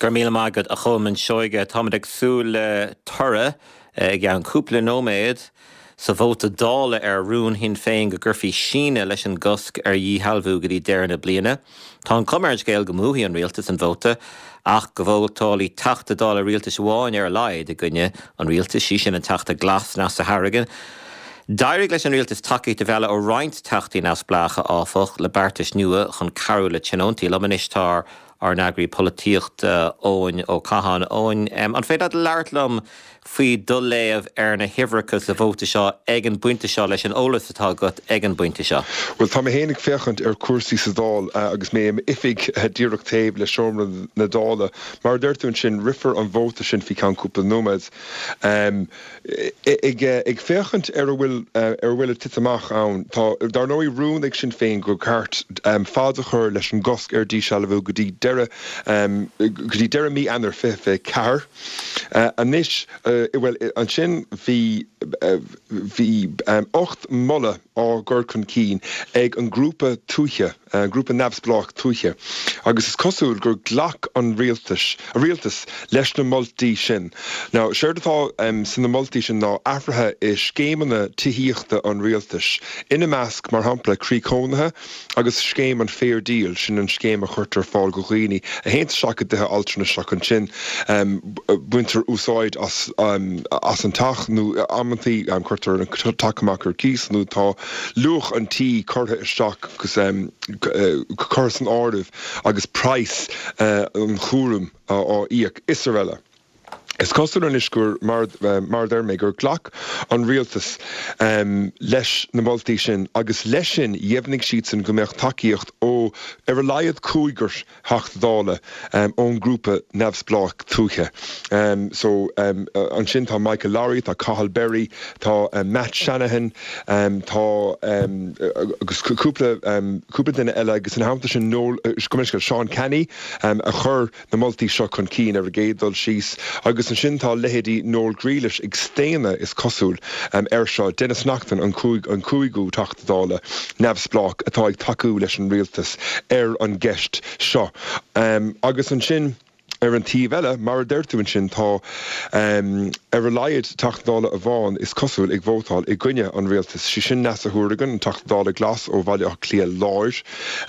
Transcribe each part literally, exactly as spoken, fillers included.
Go raibh míle maith agat a Cholmáin Seoige táimid ag súil le toradh i gceann cúpla nóiméad sa vóta Dála ar rún Shinn Féin go gcuirfí síneadh leis an gcosc ar dhíshealbhú go dtí deireadh na bliana. Tá an chuma ar an scéal go mbuafaidh an rialtas an vóta ach go vótálfaidh Teachta Dála rialtais amháin ar a laghad i gcoinne an rialtais sí sin an Teachta Glas Neasa Hourigan. D'éirigh leis an rialtas tacaíocht a mhealladh ó roinnt teachtaí neamhspleácha áfach le beartais nua chun cabhrú le tionóntaí liom anois tá ár n-eagraí polaitíochta Eoin Ó Catháin Eoin. Um, an féidir labhairt liom faoi do léamh ar na huimhreacha sa vóta seo ag an bpointe seo leis an eolas atá agat ag an bpointe seo. Well tá mé ag féachaint ar chúrsaí sa Dáil uh, agus mé in oifig uh, díreach taobh le seomra na Dála, mar deir tú sin rithfear an vóta sin faoi cheann cúpla nóiméad. Um, ag, ag féachaint ar a bhfuil uh, ar bhfuil ag titim amach ann Tá dar ndóigh rún ag Sinn Féin gur ceart um, fad a chur leis an gcosc ar dísealbhú go dtí deireadh um, go dtí deireadh mí Eanáir fiche fiche ceathair. Uh, anois uh, well ansin bhí uh, bhí um, ocht moladh á gcur chun cinn ag an grúpa tuaithe uh, grúpa neamhspleách tuaithe. Agus is cosúil gur ghlac an rialtas a rialtas leis na moltaí sin. Now séard atá um, sna moltaí sin ná athruithe i scéimeanna tithíochta an rialtais. Ina measc mar shampla croí cónaithe agus scéim an Fair Deal sin an scéim a chuirtear ar fáil do dhaoine a théann isteach i dtithe altranais ansin um, baintear úsáid as, um, as an teach nó amantaí um, cuirtear an teach amach ar cíos nó tá luach an tí curtha isteach agus um, curtha san áireamh agus praghas uh, an chúram á íoc is araile. Is cosúil anois gur mar mar deir mé gur ghlac an rialtas um, leis na moltaí sin agus leis sin dheimhnigh siad sin go mbeadh tacaíocht ó ar a laghad cúigear Teachta Dála um, ón grúpa neamhspleách tuaithe. Um, so um, ansin tá Michael Lowry, tá Cathal Berry, tá um, Matt Shanahan, um, tá um, agus cúpla um, cúpla duine eile agus ina theannta sin nó Sean Canney um, a chur na moltaí seo chun cinn ar an gcéad dul síos agus ansin tá leithéidí Noel Grealish ag staonadh is cosúil um, ar seo Denis Naughten an an cúigiú Teachta Dála neamhspleách atá ag tacú leis an rialtas ar an gceist seo. Um, agus ansin ar an taobh eile mar a deir tú ansin tá um, ar a laghad Teachta Dála amháin is cosúil ag vótáil i gcoinne an rialtas sí sin Neasa Hourigan an Teachta Dála Glas ó Bhaile Átha Cliath Láir.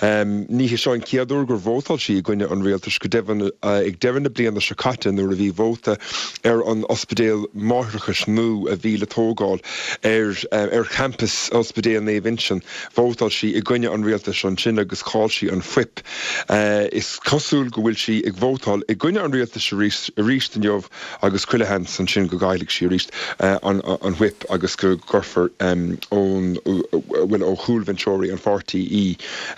Um, ní hé seo an chéad uair gur vótáil sí i gcoinne an rialtais go deimhin uh, ag deireadh na bliana seo caite nuair a bhí vóta ar an ospidéal máithreachais nua a bhí le tógáil ar uh, ar campus ospidéal Naomh Uinseann vótáil sí i gcoinne an rialtais ansin agus chaill sí an fuip. Uh, is cosúil go bhfuil sí ag vótáil i gcoinne an rialtais arís arís inniu agus chuile sheans ansin go gcaillfidh sí arís uh, an, an whip agus go gcuirfear um, ón bhfuil ó chúlbhinseoirí an pháirtí í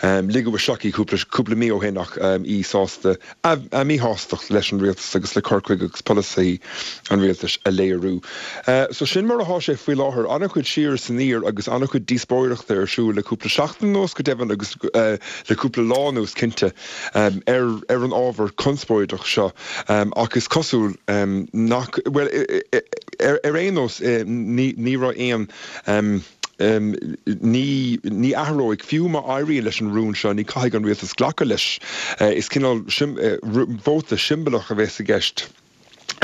um, ligeadh isteach í cúpla mí ó shin ach um, í sásta a, a míshástacht leis an rialtas agus le cur chuige agus polasaí an rialtais a léiriú. Uh, so sin mar atá sé faoi láthair an-chuid siar san iar agus an-chuid díospóireachta ar siúl le cúpla seachtain anuas go deimhin agus uh, le cúpla lá anuas cinnte um, ar, ar an ábhar conspóideach seo um, agus cosúil um, nach well ar, ar aon nós ní, ní raibh aon um, Um, ní ní athróidh fiú má éiríonn leis an rún seo ní caithfidh an rialtas glacadh leis uh, is cineál uh, vóta siombalach a bheas i gceist.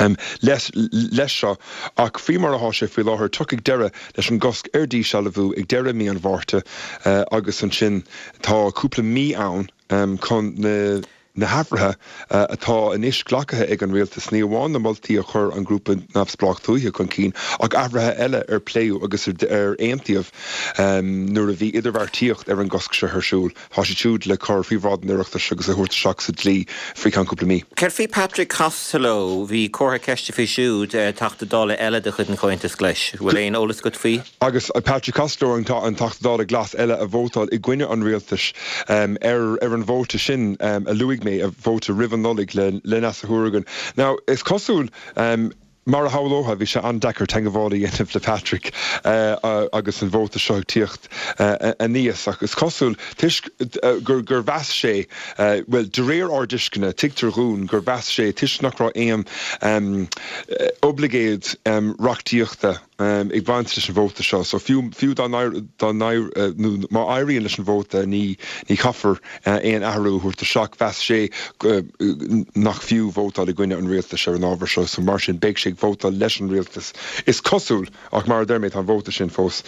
Um, leis leis seo ach faoi mar atá sé faoi láthair tiocfaidh deireadh leis an gcosc ar dísealbhú ag deireadh mí an Mhárta uh, agus ansin tá cúpla mí ann um, chun na na hathruithe uh, atá anois glactha ag an rialtas ní amháin na moltaí a chuir an grúpa neamhspleách tuaithe chun cinn ach athruithe eile ar pléadh agus ar aontaíodh um, nuair a bhí idirbheartaíocht ar an gcosc seo ar siúl. Tá sé siúd le cur faoi bhráid an Oireachtais agus a thabhairt isteach sa dlí faoi cheann cúpla mí. Céard faoi Patrick Costello bhí comhartha ceiste faoi siúd eh, Teachta Dála eile de chuid an Chomhaontais Ghlais. Bhfuil aon eolas agat faoi? Agus uh, Patrick Costello an an Teachta Dála Glas eile a vótáil i gcoinne an rialtais um, ar ar an vóta sin um, a luaigh mé a vóta roimh an Nollaig le le Neasa Hourigan. Now is cosúil um, mar a shamhlófá bhí sé an-deacair teagmháil a dhéanamh le Patrick uh, uh, agus an vóta seo ag tíocht uh, aníos agus cosúil toisc uh, gur gur mheas sé uh, well de réir ár dtuisceana tuigtear dúinn gur mheas sé toisc nach raibh aon um, oibleagáid um, reachtaíochta ag baint leis an vóta seo, so fiú fiú dá dá nó má éiríonn leis an vóta ní ní chaithfear aon athrú a thabhairt isteach. Mheas sé nach fiú vótáil i gcoinne an rialtais ar an ábhar seo, so mar sin beidh sé ag vótáil leis an rialtas is cosúil ach mar a deir mé tá an vóta sin fós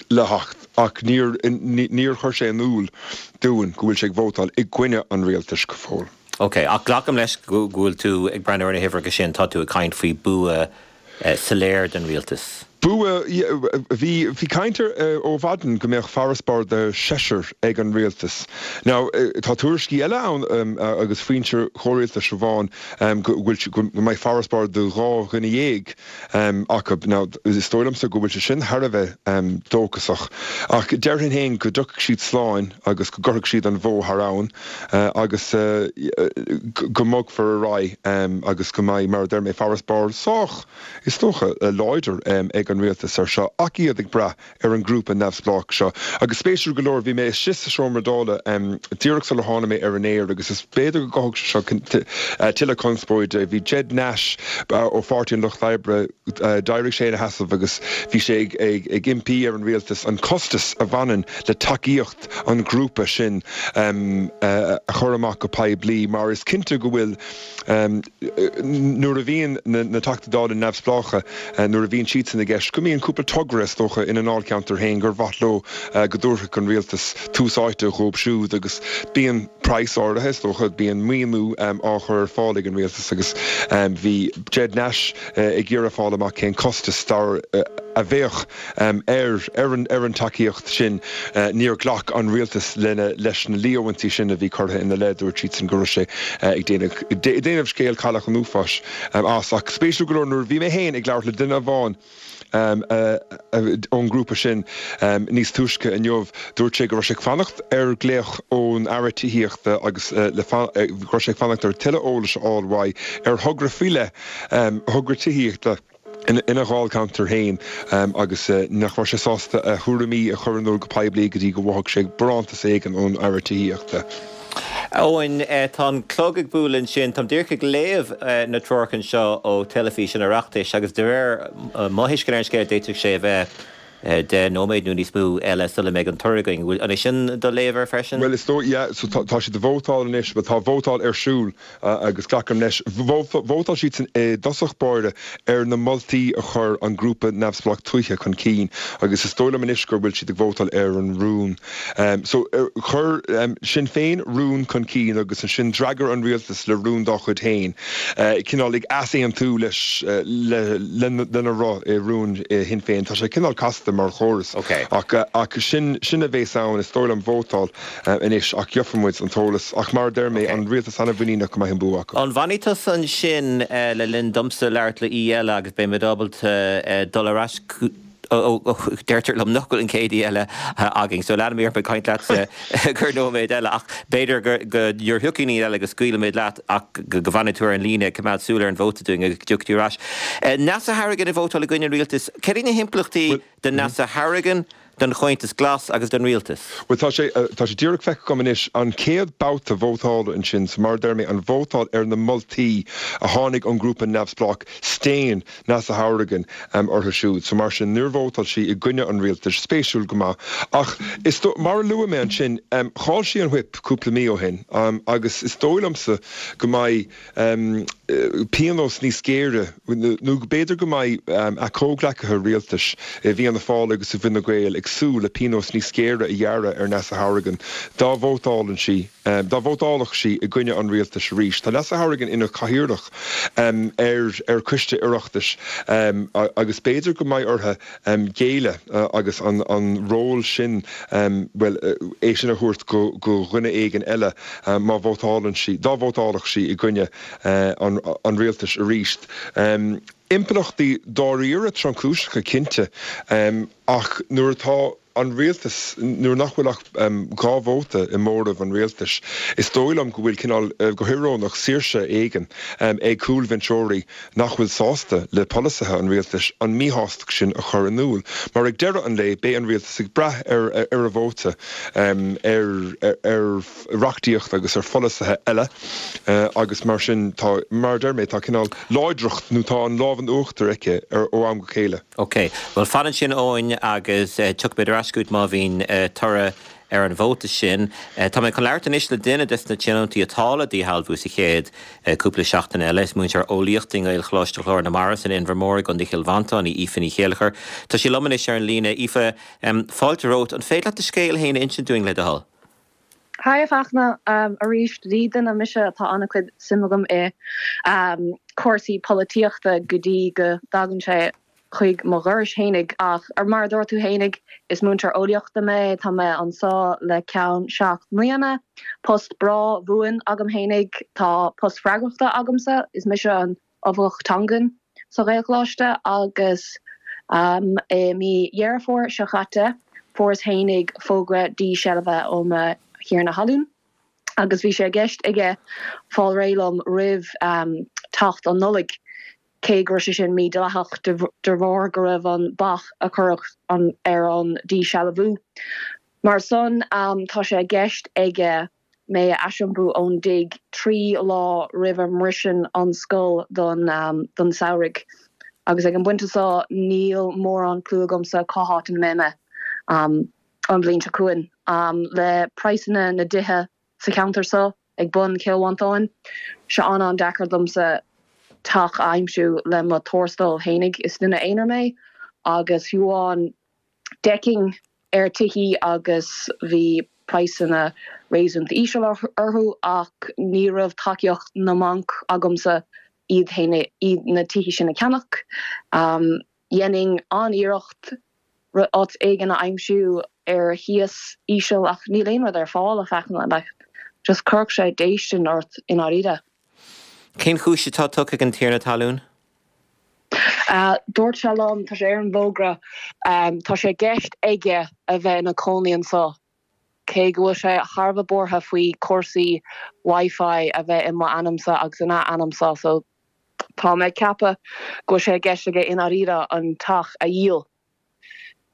le theacht ach níor níor chuir sé in iúl dúinn go bhfuil sé ag vótáil i gcoinne an rialtais go fóill. Ok, ach glacaim leis go bhfuil tú ag breathnú ar na huimhreacha sin, tá tú ag caint faoi bua soiléir den rialtas. Bua, bhí bhí caint ó mhaidin go mbeadh farasbarr de seisear ag an rialtas. Now tá tuairiscí eile ann agus foinse chomhrialtais amháin go bhfuil go mbeidh farasbarr de dhá dhuine dhéag acu. Now is dóigh liomsa go bhfuil sé sin thar a bheith dóchasach. Ach déarfainn féin go dtiocfaidh siad slán agus go gcuirfidh siad an bhó thar abhainn agus go mbogfar ar aghaidh agus go mbeidh mar a deir mé farasbarr sách is dócha láidir ag an rialtas ar seo ach iad ag brath ar an ngrúpa neamhspleách seo. Agus spéisiúil go leor bhí mé istigh sa seomra Dála díreach sular tháinig mé ar an aer agus is b'fhéidir go gcothódh sé seo tuilleadh conspóide. Bhí Ged Nash ó Pháirtí an Lucht Oibre d'éirigh sé ina sheasamh agus bhí sé ag ag impí ar an rialtas an costas a bhaineann le tacaíocht an ghrúpa sin a chur amach go poiblí mar is cinnte go bhfuil nuair a bhíonn na Teachtaí Dála neamhspleácha nuair a bhíonn siadsan i gceist go mbíonn cúpla togra is dócha ina ndáilcheantar féin gur mhaith leo go dtabharfadh an rialtas tús áite dhóibh siúd agus bíonn praghas áirithe is dócha bíonn maoiniú á chur ar fáil ag an rialtas agus bhí Ged Nash ag iarraidh fáil amach cén costas dar a bheadh ar ar an ar an tacaíocht sin níor ghlac an rialtas lena leis na líomhaintí sin a bhí curtha ina leith dúirt siadsan go raibh sé ag déanamh scéal Cailleach an Uafáis as ach spéisiúil go leor nuair bhí mé féin ag labhairt le duine amháin ón ngrúpa sin níos túisce inniu dúirt sé go raibh sé ag fanacht ar ghlaoch ón Aire Tithíochta agus le go raibh sé ag fanacht ar tuilleadh eolais a fháil uaidh ar thogra faoi leith thogra tithíochta ina dháilcheantar féin agus nach raibh sé sásta a thuairimí a chur in iúl go poiblí go dtí go bhfaigheadh sé barántas éigin ón Aire Tithíochta. Eoin tá an clog ag bualadh ansin Táim díreach ag léamh na treoracha seo ó Teilifís an Oireachtais agus de réir mo thuiscint ar an scéal d'fhéadfadh sé a bheith deich nóiméad nó níos mó eile sula mbeidh an toradh againn. An é sin do léamh air freisin? Well is dóigh yeah, so tá siad ag vótáil anois, but tá vótáil ar siúl agus glacaim leis. Vótáil siad san i dtosach báire ar na moltaí a chuir an grúpa neamhspleách tuaithe chun cinn agus is dóigh liom anois gur bhfuil siad ag vótáil ar an rún. Um, so chuir um, Sinn Féin rún chun cinn agus ansin d'fhreagair an rialtas le rún dá chuid féin. Uh, cineál ag easaontú leis uh, le, le, lena raibh i rún Shinn Féin. Tá sé cineál casta mar chóras. Okay. Ach, ach sin sin a bheas ann is dóigh liom vótáil uh, anois ach gheobhaidh muid an t-eolas ach mar deir mé an rialtas an-mhuiníneach go mbeidh an bua acu. An bhfanfaidh tusa ansin uh, le linn domsa labhairt le aoi eile agus beidh mé ábalta uh, dul ar ais deirtear liom nach bhfuil an chéad aoi eile againn, so leanfaidh mé ag caint leat go nóiméad eile ach b'fhéidir go nuair a thiocfaidh aoi eile go scaoilfimid leat ach go bhfanfaidh tú ar an líne coimeád súil ar an vóta dúinn agus dtiocfaidh tú ar ais. Neasa Harrigan ag vótáil i gcoinne an rialtais, cad iad na himpleachtaí do Neasa Harrigan, don Chomhaontas Glas agus don rialtas. Well tá sé tá sé díreach feicthe agam anois an chéad babhta vótála ansin so mar deir mé an vótáil ar na moltaí a tháinig ón grúpa neamhspleách staon Neasa Hourigan um, orthu siúd. So mar sin níor vótáil sí i gcoinne an rialtais spéisiúil go maith. Ach is mar a luaigh mé ansin um, chaill sí an whip cúpla mí ó shin um, agus is dóigh liomsa go mbeidh um, pionós níos géire nó b'fhéidir go mbeidh um, a comhghleacaithe rialtais i bhFianna Fáil agus i bhFine Gael ag súil le pionós níos géire a ghearradh ar Neasa Hourigan dá vótálann sí um, dá vótálfadh sí i gcoinne an rialtais arís. Tá Neasa Hourigan ina cathaoirleach um, ar ar choiste Oireachtais um, agus b'fhéidir go mbeidh uirthi um, géilleadh uh, agus an, an ról sin um, well, uh, é sin a thabhairt go, go dhuine éigin eile um, má vótálann sí, dá vótálfadh sí i gcoinne uh, an, an rialtais arís. Um, Impleachtaí dáiríre tromchúiseacha cinnte um, ach nuair atá an rialtas, nuair nach bhfuil ach dhá vóta i móramh an rialtais, is dóigh liom go bhfuil cineál, go híorónach, saoirse éigin ag cúlbhinseoirí nach bhfuil sásta le polasaithe an rialtais an mhíshástacht sin a chur in iúl. Mar ag deireadh an lae, beidh an rialtas ag brath ar ar a vóta ar ar reachtaíocht agus ar pholasaithe eile agus mar sin tá, mar a deir mé, tá cineál láidreacht nó tá an lámh in uachtar aici ar ó am go chéile. Ok, bhuel fan ansin Eoin agus tiocfaimid ar ais chugat má bhíonn toradh ar an vóta sin. Tá mé chun labhairt anois le duine des na tionóntaí atá le díshealbhú sa chéad cúpla seachtain eile. Is múinteoir eolaíochta i nGaelcholáiste Chlár na Mara san Inbhear Mór i gContae Chill Mhantáin í Aoife Ní Chéilleachair. Tá sí liom anois ar an líne. Aoife, fáilte romhat. An féidir leat do scéal féin a insint dúinn le do thoil? Hi a Fachtna, arís ní duine mise atá an-chuid suim agam i cúrsaí polaitíochta go dtí go dtagann sé chuig mo dhoras fhéinig ach mar a dúirt tú fhéinig is múinteoir eolaíochta mé, tá mé anseo le ceann seacht mbliana, post breá buan agam fhéinig, tá post freagrachta agamsa, is mise an Oifigeach Teangan sa Ghaelcholáiste agus i mí Dheireadh Fómhair seo chaite fuaireas fhéinig fógra díshealbhaithe ó mo thiarna thalún agus bhí sé i gceist aige fáil réidh liom roimh teacht an Nollaig. cé go raibh sé sin mídhleathach de bharr go raibh an bac a cuireadh ar an díshealbhú. Mar san, tá sé i gceist aige mé a aisiompú ón dtigh trí lá roimh a mbriseann an scoil don don samhradh. Agus ag an bpointe seo níl mórán clue agamsa cá háit ina mbeidh mé an bhliain seo chugainn. Le praghsanna na dtithe sa cheantar seo ag bun Chill Mhantáin, sé an-an-deacair domsa teach a aimsiú le mo tuarastal fhéinig. Is duine aonair mé agus fiú amháin d'fhéachfainn ar tithí agus bhí praghsanna réasúnta íseal orthu ach ní raibh tacaíocht na mbanc agamsa iad féin iad na tithí sin a cheannach. Dhéanfainn an-iarracht áit éigin a aimsiú ar chíos íseal ach níl aon rud ar fáil a Fhachtna like just chuirfeadh sé déistin ort i ndáiríre. Cén chúis atá tugtha ag an tiarna talún? Dúirt sé liom, tá sé ar an bhfógra, tá sé i gceist aige a bheith ina chónaí anseo, cé go bhfuil sé thar a bheith buartha faoi chúrsaí Wi-Fi a bheith i m'ainmsa agus ina ainmsa so tá mé ag ceapadh go bhfuil sé i gceist aige i ndáiríre an teach a dhíol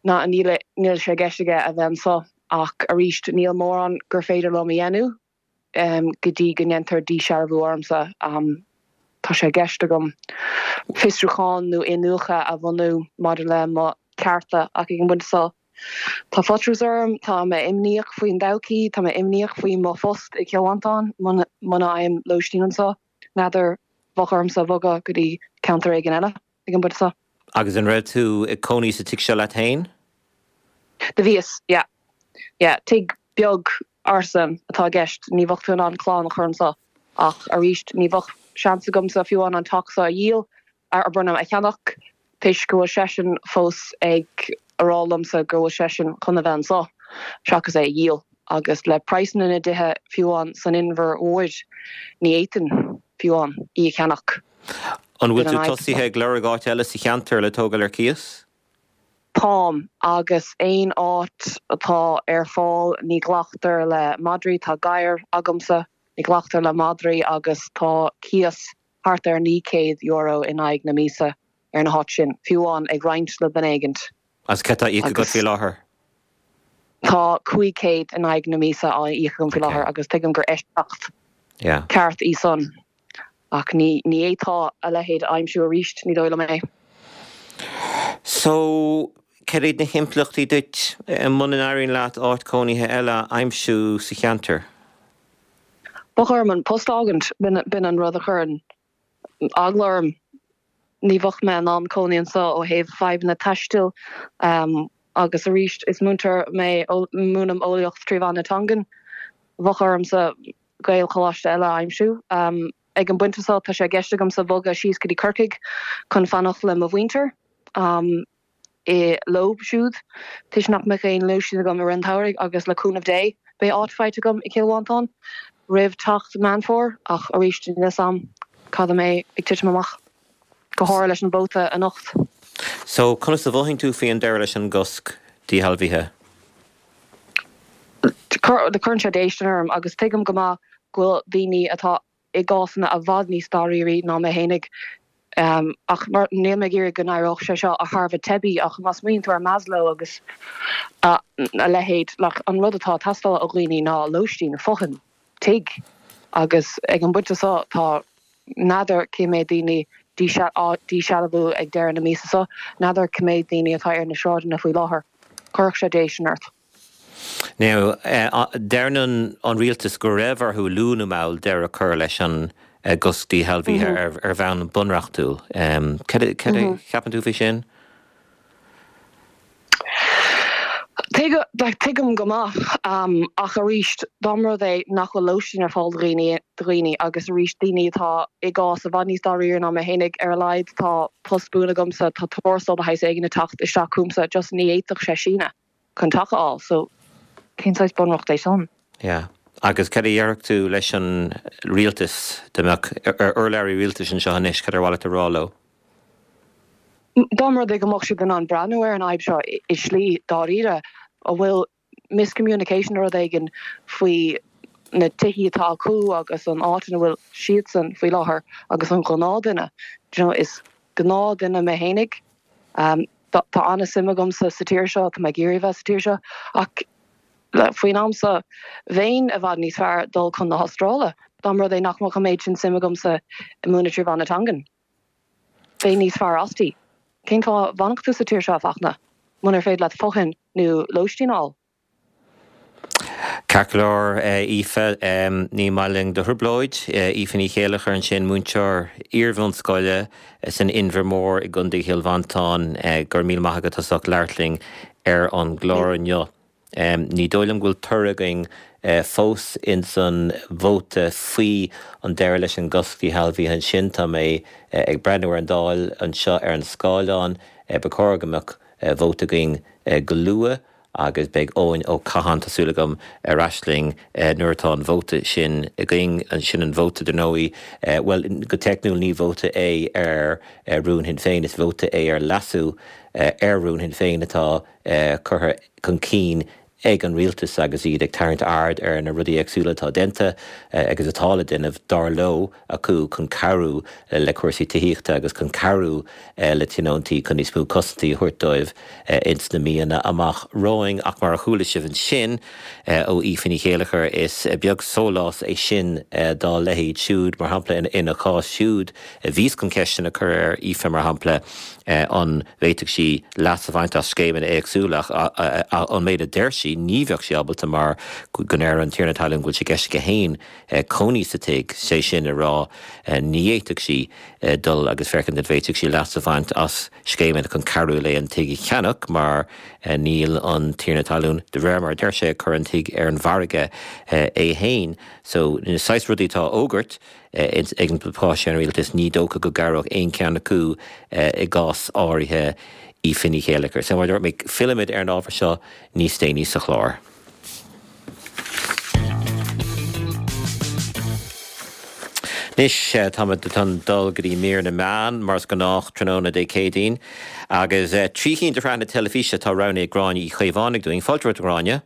ná níl níl sé i gceist aige a bheith anseo ach arís níl mórán gur féidir liom a dhéanamh go dtí go ndéantar díshealbhú ormsa. Tá sé i gceist agam fiosrúchán nó iniúchadh a bhunú maidir le mo chearta ach ag an bpointe seo tá faitíos orm, tá mé imníoch faoin todhchaí, tá mé imníoch faoi mo phost i gCill Mhantáin muna bhfaighim lóistín anseo. N'fheadar bheadh ormsa bogadh go dtí ceantar éigin eile ag an bpointe seo. Agus an raibh tú ag cónaí sa tigh seo leat féin? Do bhíos, yeah. Yeah, tigh beag ársa atá i gceist, ní bheadh tú in ann clann a chur anseo. Ach arís, ní bheadh seans agamsa fiú amháin an teach seo a dhíol, ar bronnadh a cheannach, toisc go bhfuil seisean fós ag a rá liomsa go bhfuil seisean chun a bheith anseo, seachas é a dhíol. Agus le praghsanna na dtithe fiú amháin san Inbhear Mhór, ní fhéadfainn fiú amháin í a cheannach. An bhfuil tú tosaithe ag lorg áit eile sa cheantar le tógáil ar cíos? Táim, agus aon áit atá ar fáil, ní ghlactar le madraí, tá gadhar agamsa, ní ghlactar le madraí agus tá cíos thart ar naoi céad euro in aghaidh na míosa ar na háit sin, fiú amháin ag roinnt le duine éigint. Agus céard atá á íoc agat faoi láthair? Tá cúig chéad in aghaidh na míosa á íoc agam faoi láthair agus tuigim gur eisceacht ceart í san ach ní ní fhéadfá a leithéid a aimsiú arís, ní dóigh liom é. So, céard iad na himpleachtaí duit muna n-éiríonn leat áit cónaithe eile a aimsiú sa cheantar? Bheadh orm an post a fhágaint, b'in an rud a chuireann eagla orm. Ní bheadh mé in ann cónaí anseo ó thaobh fadhbanna taistil agus arís is múinteoir mé, múinim eolaíocht trí mheán na teangan. Bheadh ormsa Gaelcholáiste eile a aimsiú. Ag an bpointe seo tá sé i gceist agamsa bogadh síos go dtí Corcaigh chun fanacht le mo mhuintir i leo siúd toisc nach mbeadh aon lóistín agam i rith an tsamhraidh agus le cúnamh Dé beidh áit faighte agam i gCill Mhantáin roimh teacht Meán Fómhair ach arís níl a fhios agam cad a mbeidh ag titim amach, go háirithe leis an vóta anocht. So, conas a mhothaíonn tú faoi an deireadh leis an gcosc díshealbhaithe? Cuireann sé déistin orm agus tuigim go maith go bhfuil daoine atá i gcásanna i bhfad níos dáiríre ná mé fhéinig. Um, ach mar níl mé ag iarraidh go n-éireodh sé seo a thairbhe teibí ach má smaoiníonn tú ar Maslow agus a, a leithéid like, an rud atá ag teastáil ó dhaoine ná lóistín fothain tigh agus ag an bpointe seo tá n'fheadar cé mhéad daoine dísealbhú ag deireadh na míosa seo, n'fheadar cé mhéad daoine atá ar na sráideanna faoi láthair. Chuirfeadh sé déistin ort. Now, deireann an rialtas go raibh orthu luath nó mall deireadh a chur leis an gcosc díshealbhaithe ar bhonn bunreachtúil. Cad a cheapann tú faoi sin? Tuigim go maith, ach arís, dá mba rud é nach bhfuil lóistín ar fáil do dhaoine, agus arís daoine atá i gcás i bhfad níos dáiríre ná mé fhéinig, ar a laghad tá post buan agamsa, tá tuarastal de shaghas éigin ag teacht isteach chugamsa, just ní fhéadfadh sé síneadh chun teach a fháil, so cén saghas bunreacht é san? Yeah. Agus cad a déarfadh tú leis an rialtas, dá mbeadh urlabhraí rialtais anseo anois, cad ar mhaith leat a rá leo? Dá mba rud é go mbeadh siad in ann breathnú ar an fhadhb seo i slí dáiríre, an bhfuil miscommunication nó rud éigin faoi na tithí atá acu agus an áit ina bhfuil siadsan faoi láthair agus an gnáthdhuine, do you know, is gnáthdhuine mé fhéinig. Tá an-suim agamsa sa tír seo, tá mé ag iarraidh a bheith sa tír seo, ach faoin am seo bheinn i bhfad níos fearr dul chun na hAstráile dá mba rud é nach mbeadh an méid sin suim agamsa i múineadh trí mheán na teangan. Bheinn níos fearr asti. Cén fáth a bhfanfadh tú sa tír seo, a Fachtna, munar féidir leat fothain nó lóistín a fháil? Ceart go leor, Aoife, ní maith linn do thrioblóid. Aoife Ní Chéilleachair ansin, múinteoir iarbhunscoile san Inbhear Mór i gContae Chill Mhantáin. Go raibh míle maith agat as ucht labhairt linn ar an gclár inniu. Ní dóigh liom go bhfuil toradh againn fós ins an vóta faoi an deireadh leis an gcosc díshealbhaithe ansin. Tá mé ag breathnú ar an Dáil anseo ar an scáileán. Ba chóir go mbeadh vóta againn go luath agus beidh Eoin Ó Catháin, tá súil agam, ar ais linn nuair atá an vóta sin againn. Sin an vóta, dar ndóigh, bhuel, go teicniúil ní vóta é ar rún Shinn Féin, is vóta é ar leasú ar rún Shinn Féin atá curtha chun cinn ag an rialtas agus iad ag tarraingt aird ar na rudaí éagsúla atá déanta agus atá le déanamh, dar leo, acu chun cabhrú le cúrsaí tithíochta agus chun cabhrú le tionóntaí chun níos mó cosaintí a thabhairt dóibh ins na míonna amach romhainn. Ach mar a chuala sibh ansin ó Aoife Ní Chéilleachair, is beag sólás é sin dá leithéid siúd. Mar shampla, ina cás siúd, bhíos chun ceisteanna a chur ar Aoife, mar shampla, an bhféadfadh sí leas a bhaint as scéimeanna éagsúla ach ón méid a deir sí, ní bheadh sí ábalta mar go ndeir an tiarna talún go bhfuil sé i gceist aici féin cónaí sa tigh, sé sin a rá ní fhéadfadh sí dul agus féachaint an bhféadfadh sí leas a bhaint as scéimeanna chun cabhrú léi an tigh a cheannach mar níl an tiarna talún, de réir mar a deir sé, ag cur an tigh ar an mhargadh é féin. So, na saghas rudaí atá á fhógairt ag an bpáirtí an rialtas, ní dócha go gcabhródh aon cheann acu i gcás áirithe Aoife Ní Chéilleachair. So mar a dúirt mé, fillfimid ar an ábhar seo níos déanaí sa chlár. Anois táimid chun dul go dtí mír na meán, mar is gnách tráthnóna Dé Céadaoin, agus trí chinn de shraitheanna teilifíse atá roghnaithe ag Gráinne Uí Chaomhánaigh dúinn. Fáilte romhat, a Ghráinne.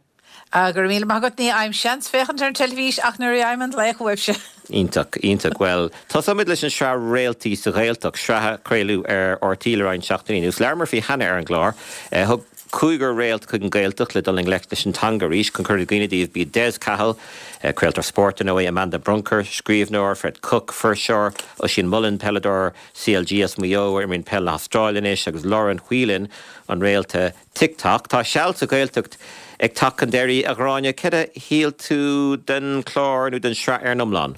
Go raibh míle maith agat. Ní fhaighim seans féachaint ar an teilifís ach nuair a fhaighim an glaoch uaibhse. Iontach, iontach. Bhuel, tosóimid leis an sraith Réaltaí sa Ghaeltacht, sraith a craoladh ar RTÉ le roinnt seachtainí anuas. Labhramar faoi cheana ar an gclár. Thug cúigear réalt chuig an Ghaeltacht le dul i ngleic leis an teanga arís. Chun cur i gcuimhne daoibh, b'iad Des Cahill, craoltóir spóirt, ar ndóigh, Amanda Brunker, scríbhneoir, Fred Cooke, fuirseoir, Oisín Mullin, peileadóir CLG as Maigh Eo, a imríonn peil na hAstráile anois, agus Lauren Whelan, an réalta TikTok. Tá seal sa Ghaeltacht ag teacht chun deiridh, a Ghráinne. Céard a shíl tú den chlár nó den sraith ar an iomlán?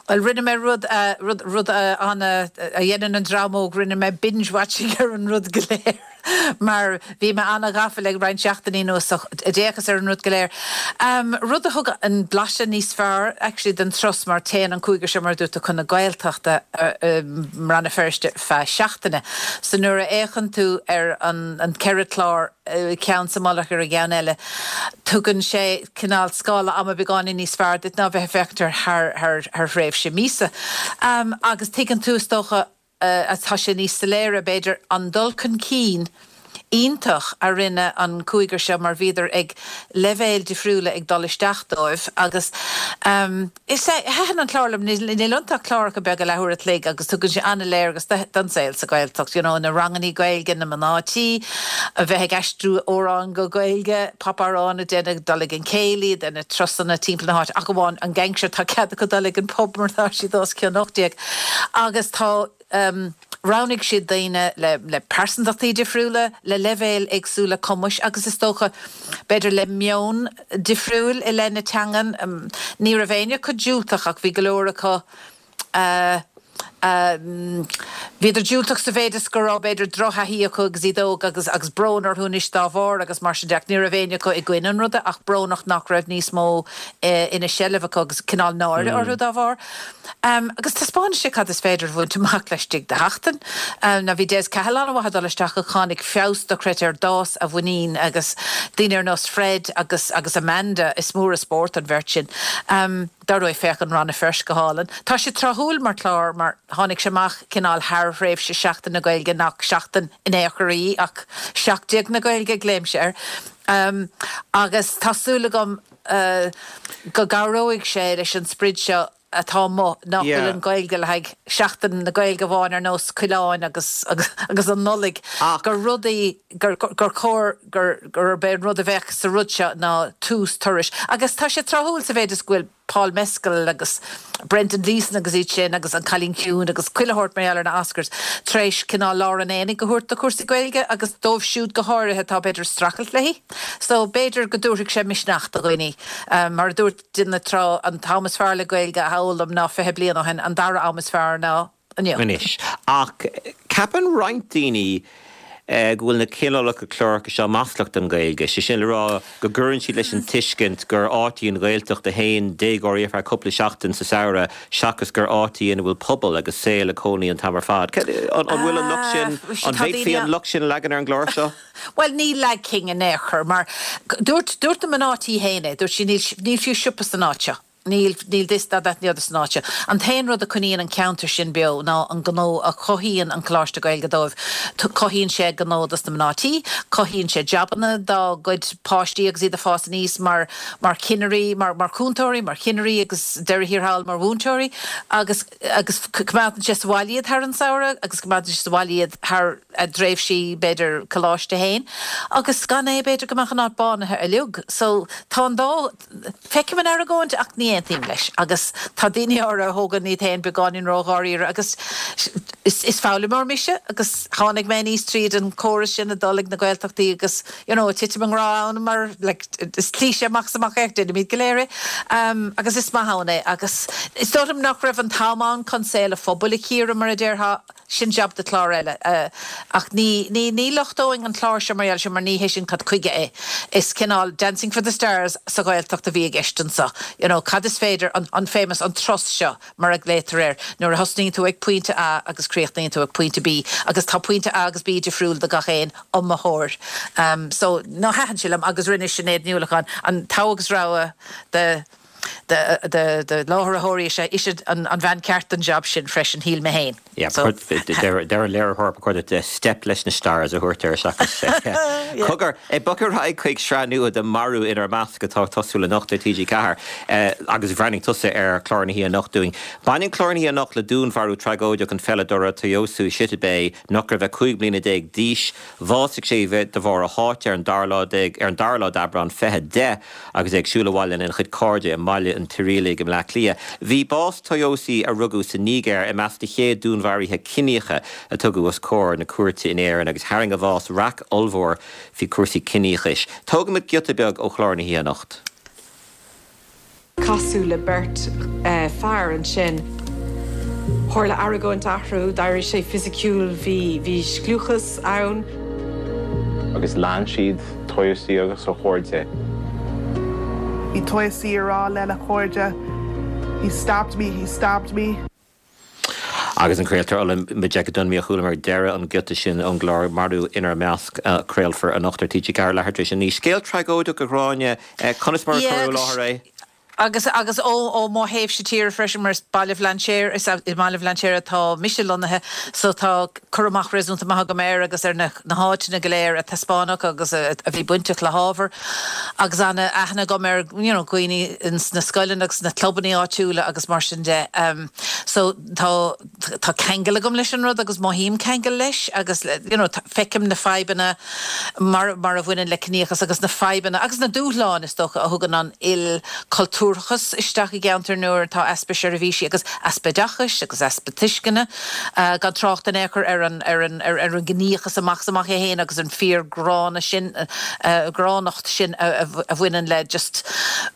Bhuel, rinne mé rud, rud, rud an-, a dhéanann an dream óg, rinne mé binge-watching ar an rud go léir mar bhí mé an-ghafa le roinnt seachtainí anuas so d'fhéachas ar an rud go léir. Rud a thug an blaiseadh níos fearr actually den turas mar téann an cúigear seo mar a dúirt tú chun na Gaeltachta i mRann na Feirste feadh seachtaine. So nuair a fhéachann tú ar an an ceithre chlár, ceann sa mullach ar an gceann eile, tugann sé cineál scála ama beagáinín níos fearr duit ná bheith ag féachaint air thar thar thar thréimhse míosa. Agus tuigeann tú, is dócha, tá sé níos soiléire, b'fhéidir, an dul chun cinn iontach a rinne an cúigear seo mar bhíodar ag leibhéil difriúla ag dul isteach dóibh agus um, is é thaitin an clár liom níl iontu ach cláracha beaga leathuair a chloig agus tugann sé an-léargas don saol sa Ghaeltacht, you know, na ranganna Gaeilge na mná tí a bheith ag aistriú amhrán go Gaeilge, popamhrán a déanamh dul ag an céilí de na turasanna timpeall na háite ach amháin an gang seo tá cead acu dul ag an pub mar tá siad os cionn ocht déag. Agus tá um, roghnaigh siad daoine le, le pearsantachtaí difriúla, le leibhéil éagsúla cumais agus is dócha b'fhéidir le meon difriúil i leith na teangan. Um, ní raibh éinne acu diúltach ach bhí go leor acu uh, Um, Bhíodar diúltach sa mhéid is go raibh b'fhéidir drochthaithí acu agus iad óg agus agus brón orthu anois dá bharr agus mar sin de ní raibh éinne acu i gcoinne an ruda ach brónach nach raibh níos mó eh, ina seilbh acu agus cineál náire mm. orthu dá bharr. Um, agus taispeánann sé cad is féidir a bhaint amach laistigh de sheachtain. Um, na bhí Des Cahill an-mhaith dul isteach a tháinig feabhas dochreidte ar d'fhás a mhuinín agus daoine ar nós Fred agus agus Amanda is mór an spórt an bheirt sin. Um, Dar ndóigh féachann Rann na Feirste go hálainn. Tá sé tráthúil mar chlár mar tháinig sé amach cineál thar thréimhse Seachtain na Gaeilge nach seachtain in aon chor í ach seacht déag na Gaeilge glaoimse air. Um, agus tá súil agam uh, go gcabhróidh sé leis an sprid seo atá mo nach bhfuil an Ghaeilge le haghaidh Seachtain na Gaeilge amháin ar nós coileáin agus agus, agus an Nollaig gur rudaí gur gur chóir gur gurb é an rud a bheadh sa rud seo ná tús turais. Agus tá sé tráthúil sa mhéid is go bhfuil Paul Mescal agus Brendan Gleeson agus iad sin agus an Cailín Ciúin agus chuile shórt mar ar na Oscars tar éis cineál lár an aonaigh a thabhairt do chúrsaí Gaeilge agus dóibh siúd go háirithe atá b'fhéidir streachailt léi. So b'fhéidir go dtabharfaidh sé misneach do dhaoine um, mar dúirt duine tráth an t-am is fearr le Gaeilge a fhoghlaim ná fiche bliain ó shin an dara am is fearr ná inniu. Anois. Ach ceapann roinnt daoine eh, go bhfuil na cineálacha cláracha seo maslach don Ghaeilge. Sé sin le rá go gcuireann siad leis an tuiscint gur áit í an Ghaeltacht a théann déagóirí ar feadh cúpla seachtain sa samhradh seachas gur áit í ina bhfuil pobal agus saol ag cónaí an t-am ar fad. An bhfuil an locht sin Ah, an bhféadfaí an locht sin a leagan ar an gclár seo? Well ní leagfainn in aon chor mar dúirt dúirt na mná tí féin dúirt sí níl níl fiú siopa san áit seo. Níl níl this that that ní san áit seo. An t-aon rud a choinníonn an ceantar sin beo ná an gnó a chothaíonn an Coláiste Gaeilge dóibh. Cothaíonn sé gnó dos na mná tí, cothaíonn sé jabanna dá gcuid páistí agus iad ag fás aníos mar mar chinnirí, mar mar chúntóirí, mar chinnirí agus deireadh thiar thall mar mhúinteoirí agus agus coimeádann sé sa bhaile iad thar an samhradh agus coimeádann sé sa bhaile iad thar a dtréimhsí b'fhéidir coláiste féin. Agus gan é b'fhéidir go mbeadh an áit bánaithe uilig. So tá an dá feicim an argóint ach ní aontaím leis agus tá daoine ar a thógann iad féin beagáinín ródháiríre agus is, is foghlaimeoir mise agus tháinig mé aníos tríd an córas sin a dul ag na Gaeltachtaí agus you know, titim i ngrá ann mar like, is cliché amach is amach é déanaimid go léir é. Um, agus is maith ann é agus is dóigh liom nach raibh an t-am ann chun saol an phobail a chíoradh mar a déarfá sin jab do chlár eile. Uh, ach ní, ní, ní lochtóinn an clár seo mar sin mar ní hé sin cad chuige é. Is cineál Dancing for the Stars sa Ghaeltacht a bhí i gceist anseo. You know, cad is féidir an, an famous an turas seo mar a glaotar air nuair a thosnaíonn tú ag pointe A agus críochnaíonn tú ag pointe B agus tá pointe A agus B difriúil do gach aon iomaitheoir. Um, so ná thaitin sé liom agus rinne Sinéad Ní Uallacháin an togha agus rogha de de de de láithreoirí sé is an an bhean ceart an job sin freisin shíl mé féin. So deir léiritheoir chuir de Step leis na Stars a thuirtar seachas. Cogar é bogfaidh chuig sraith nua de Marú inár measc atá tosú anocht ar TG Ceathair agus bhreathnaigh tusa ar chlár na hoíche anocht dúinn. Baineann clár na hoíche anocht le dúnmharú tragóideach an pheileadóra Toyosu Shittabey nach raibh ach cúig bliana déag d'aois, bhásaigh sé de bharr a sháite ar an dara lá ar an dara lá d'Aibreán fiche deich agus é ag siúl abhaile lena chuid cairde i mBaile an Tirialaigh i mBleá Cliath. Bhí bás Toyosi a rugadh sa Nigéir i measc na chéad dúnmharuithe ciníocha a tugadh os comhair na cúirte in Éirinn agus tharraing a bhás raic ollmhór faoi chúrsaí ciníochais. Tógaimid giota beag ó chlár na hoíche anocht. Casadh le beirt uh, fear ansin. Tharla argóint eatarthu, d'éirigh sé fisiciúil bhí bhí scliúchas ann. Agus lean siad Toyosi agus a chairde. Bhí Toyosi ag rá lena chairde. He stabbed me, he stabbed me. Agus an craoltóir Ola Majekodunmi a chualamar deireadh an giota sin ón gclár Marú inár measc craolfar anocht ar TG Ceathair leathuair tar éis a naoi. Scéal tragóideach a Ghráinne conas mar a cuireadh i láthair é? Agus agus ó ó mo thaobhsa tíre freisin mar is Baile Bhlainséir is i mBaile Bhlainséir atá mise lonnaithe so tá cur amach réasúnta maith agam air agus ar na na háiteanna go léir a taispeánadh agus a a bhí bainteach le hábhar agus ana aithne agam ar you know dhaoine ins na scoileanna agus na clubanna áitiúla agus mar sin de. Um, so tá tá ceangal agam leis an rud agus mothaím ceangal leis agus you know feicim na fadhbanna mar mar a bhaineann le ciníochas agus na fadhbanna agus na dúshláin is dócha a thugann an ilchultúrachas isteach i gceantar nuair atá easpa seirbhísí agus easpa oideachais agus easpa tuisceana uh, gan trácht in aon chor ar an ar an ar, ar an gciníochas amach is amach é féin agus an fíor gránna sin uh, gránnacht sin a, a, a bhaineann le just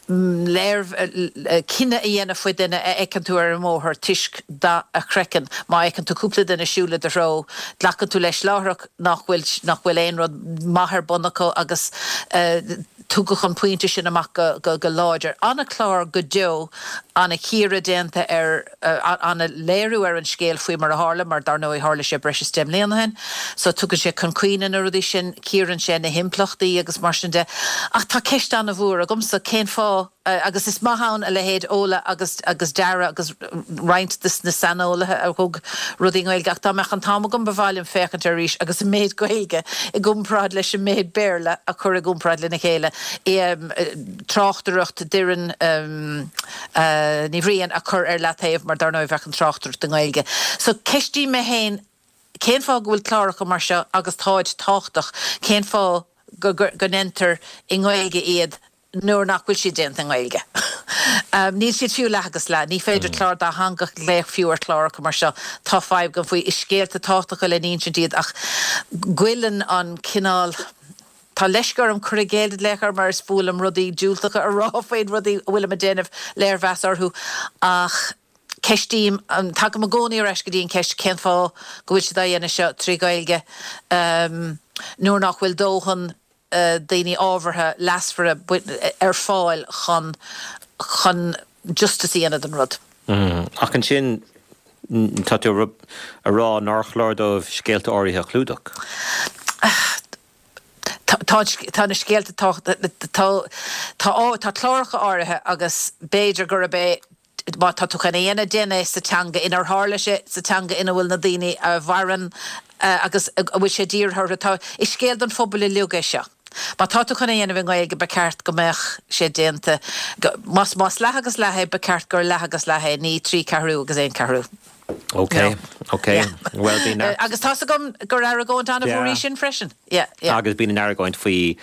mm, léir uh, cinneadh a dhéanamh faoi duine a fheiceann tú ar an mbóthar toisc dath a chraicinn má fheiceann tú cúpla duine ag siúl i do threo glacann tú leis láithreach nach bhfuil nach bhfuil aon rud maith ar bun acu agus uh, tugadh an pointe sin amach go, go, go láidir. An-chlár go deo an-chíoradh déanta ar uh, an-léiriú ar an scéal faoi mar a tharla mar dar ndóigh tharla sé breis is deich mbliana ó shin, so tugann sé chun cuimhne na rudaí sin cíorann sé na himpleachtaí agus mar sin de. Ach tá ceist an-mhór agamsa cén fáth uh, agus is maith ann a leithéid Ola agus agus Dara agus roinnt des na saineolaithe a thug rudaí Gaeilge ach dá mbeadh an t-am agam ba mhaith liom féachaint arís agus an méid Gaeilge i gcomparáid leis an méid Béarla a chur i gcomparáid lena chéile. I, um, tráchtaireacht Doireann um, uh, Ní Bhriain a chur ar leataobh mar dar ndóigh bheadh an tráchtaireacht i nGaeilge. So ceistím mé féin cén fáth go bhfuil cláracha mar seo agus táid tábhachtach cén fáth go, go, go ndéantar i nGaeilge iad nuair nach bhfuil siad déanta i nGaeilge. Um, níl siad fiú leath agus leath, ní féidir mm. clár dátheangach a ghlaoch fiú ar chláracha mar seo tá fadhb agam faoi is scéalta tábhachtacha le n-insint iad ach goilleann an cineál Tá leisce orm cur i gcéill lecher mar is fuath liom rudaí diúltacha a rá faoi rudaí a bhfuil ag déanamh léirmheas orthu ach ceistím um, tagaim i gcónaí ar ais go dtí an ceist cén fáth go bhfuil siad á dhéanamh seo trí Ghaeilge um, nuair nach bhfuil dóthain uh, daoine ábhartha leasmhara ar fáil chun chun justice a dhéanamh den rud. Mm. Ach ansin tá tú a rá nár chlár dóibh scéalta áirithe a chlúdach. Tá tá na scéalta tá tá cláracha áirithe agus b'fhéidir gurb é má tá tú chun é a dhéanamh sa teanga inar tharla sé sa teanga ina bhfuil na daoine a mhaireann uh, agus a bhfuil sé dírithe tá is scéal don phobal uilig é seo. Má tá tú chun é a dhéanamh i nGaeilge ba cheart go mbeadh sé déanta más más leath agus leath é ba cheart gur leath agus leath é ní trí ceathrú agus aon ceathrú. Ok, ok. Well bhí uh, agus tá gom gur argóint an sin freisin. Agus bíonn an argóint faoi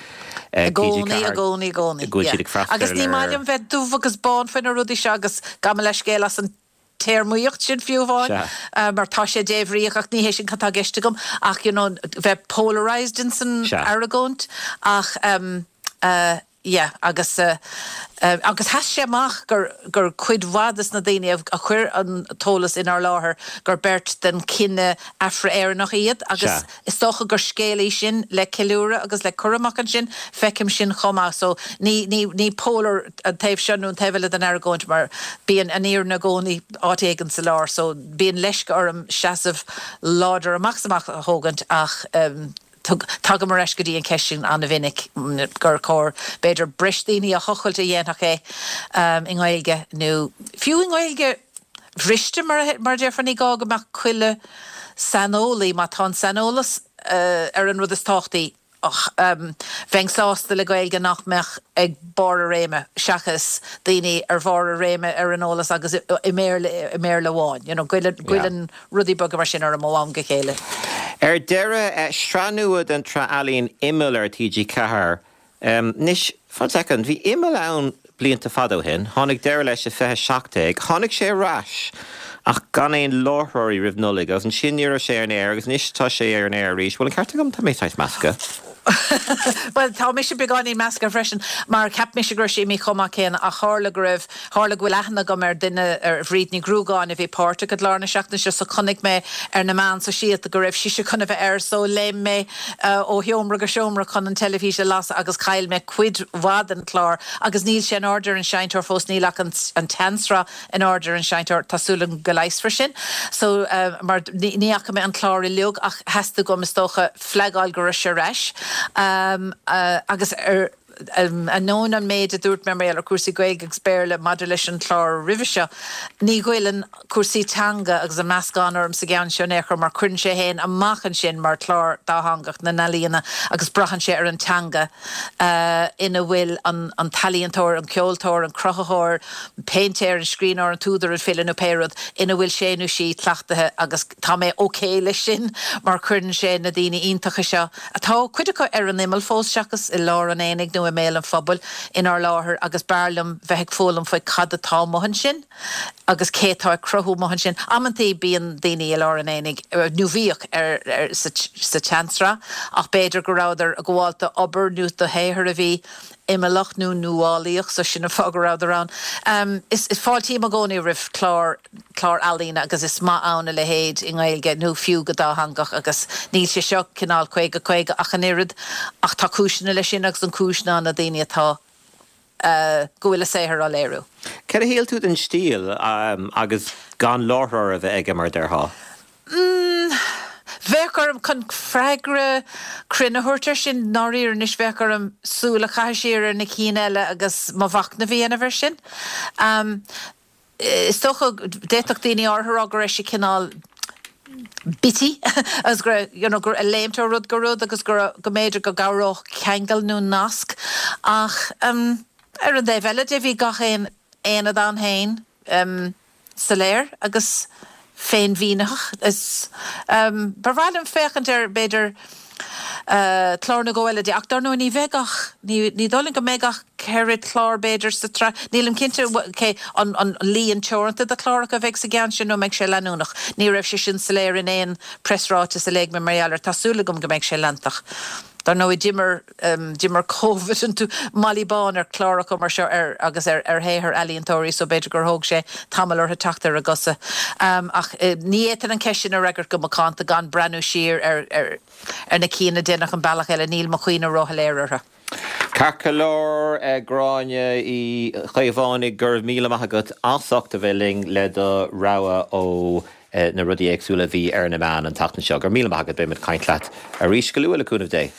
gcónaí i gcónaí i gcónaí. Agus ní maith liom bheith dubh agus bán faoi na rudaí seo agus gabh mo leithscéal as an téarmaíocht sin fiú amháin uh, mar tá sé débhríoch ach ní hé sin atá i gceist agam ach you know, bheith polarized in san argóint ach um, uh, yeah, agus uh, uh, agus sheas sé amach gur gur cuid mhaith des na daoine a chuir an t-eolas inár láthair gur beirt den chine Afra-Éireannach iad agus is dócha gur scéal é sin le ceiliúradh agus le cur amach ansin feicim sin chomh maith so ní ní ní polar an taobh seo nó an taobh eile den argóint mar bíonn an fhírinne i gcónaí áit éigin sa lár so bíonn leisce orm seasamh láidir amach amach a thógaint ach um, tagaim ar ais go dtí an ceist sin an-mhinic gur chóir b'fhéidir breis daoine a thochailt a dhéanfadh é um, i nGaeilge nó fiú i nGaeilge bhriste mar mar déarfá ní gá go mbeadh chuile saineolaí má tá an saineolas uh, ar an rud is tábhachtaí um, bheinn sásta le Gaeilge nach mbeadh ag barr a réime seachas daoine ar bharr a réime ar an eolas agus i mBéarla amháin. You know, goilleann rudaí beaga mar sin orm ó am go chéile. Ar deireadh eh, sraith nua den tsraith ealaíon Imeall ar TG Ceathair. Um, Anois fan second, bhí Imeall ann blianta fada ó shin, tháinig deireadh leis i fiche seacht déag, tháinig sé ar ais ach gan aon láithreoirí roimh Nollaig agus ansin ní raibh sé ar an aer agus anois tá sé ar an aer arís, bhfuil an ceart agam tá mé saghas measctha. Well tá mise beagáinín measctha freisin mar cheap mise go raibh sé imithe chomh maith céanna ach tharla go raibh tharla go bhfuil aithne agam ar duine ar Bhríd Ní Ghruagáin a bhí páirteach i gclár na seachtaine seo so chonaic mé ar na meáin sóisialta go raibh sise chun a bheith air so léim mé uh, ó sheomra go seomra chun an teilifís a lasadh agus chaill mé cuid mhaith den chlár agus níl sé in airde ar an seinnteoir fós níl ach an, an tseansraith in airde ar an seinnteoir tá súil agam go leigheasfar sin. So uh, mar ní fhaca mé an clár uilig ach theastaigh uaim is dócha flagáil go raibh sé ar ais. Um, uh, agus ar Ainneoin an méid a dúirt mé mar gheall ar chúrsaí Gaeilge agus Béarla maidir leis an chlár roimhe seo, ní ghoilleann cúrsaí teanga agus an meascán orm sa gceann seo in aon chor mar cuireann sé féin amach ansin mar chlár dátheangach na n-ealaíona agus braitheann sé ar an teanga ina bhfuil an an t-ealaíontóir, an ceoltóir, an cruthaitheoir, an péintéir, an scríbhneoir, an t-údar, an file nó pé rud ina bhfuil sé nó sí cleachtaithe agus tá mé ok leis sin mar cuireann sé na daoine iontacha seo, atá cuid acu ar an imeall fós seachas i lár an aonaigh nó i mbéal an phobail, inár láthair agus b'fhearr liom bheith ag foghlaim faoi cad atá amuigh ansin agus cé atá ag cruthú amuigh ansin. Amantaí bíonn daoine i lár an aonaigh, nó bhíodh, ar sa tseansraith ach b'fhéidir go rabhadar ag gabháil d'obair nó do shaothar a bhí imeallach nó nuálaíoch so sin an fáth go rabhadar ann. Is fáiltím i gcónaí roimh chlár clár ealaíne agus is maith ann a leithéid i nGaeilge nó fiú go dátheangach agus níl sé seo cineál caoga caoga ach an oiread ach tá cúiseanna leis sin agus an cúis ná na daoine atá go bhfuil a saothar á léiriú. Cad a shíl tú den stíl agus gan láithreoir a bheith aige mar a déarfá? Bheadh orm, chun freagra cruinn a thabhairt air sin, ndáiríre anois, bheadh orm súil a chaitheamh siar ar na cinn eile agus mo mhachnamh a dhéanamh air sin. Is dócha, d'fhéadfadh daoine áirithe a rá go raibh sé cineál bitty agus go raibh, you know, go raibh ag léimt ó rud go rud agus go raibh, go mb'fhéidir go gcabhródh ceangal nó nasc ach ar an dtaobh eile de bhí gach aon aonad ann féin. soiléir agus féinmhínitheach. Is ba bhreá liom féachaint ar, b'fhéidir, clár nó dhó eile de, ach dar ndóigh ní bheidh ach, ní dóigh liom go mbeidh ach ceithre chlár b'fhéidir sa tsraith. Nílim cinnte cé an an líon teoranta de chláracha a bheidh sa gceann sin nó an mbeidh sé leanúnach. Ní raibh sé sin soiléir in aon preasráiteas a léigh mé mar gheall air. Tá súil agam go mbeidh sé leantach. Dar ndóigh, d'imir d'imir Covid an malaí bán ar chláracha mar seo ar agus ar ar shaothar ealaíontóirí so b'fhéidir gur thóg sé tamall orthu teacht ar a gcosa. Ach ní fhéadfainn an cheist sin a fhreagairt go macánta gan breathnú siar ar ar ar na cinn a deineadh an bealach eile, níl mo chuimhne róshoiléir orthu. Ceart go leor, Gráinne Uí Chaomhánaigh, go raibh míle maith agat as ucht a bheith linn le do rogha ó na rudaí éagsúla a bhí ar na meáin an tseachtain seo. Go raibh míle maith agat, beimid ag caint leat arís go luath le cúnamh Dé.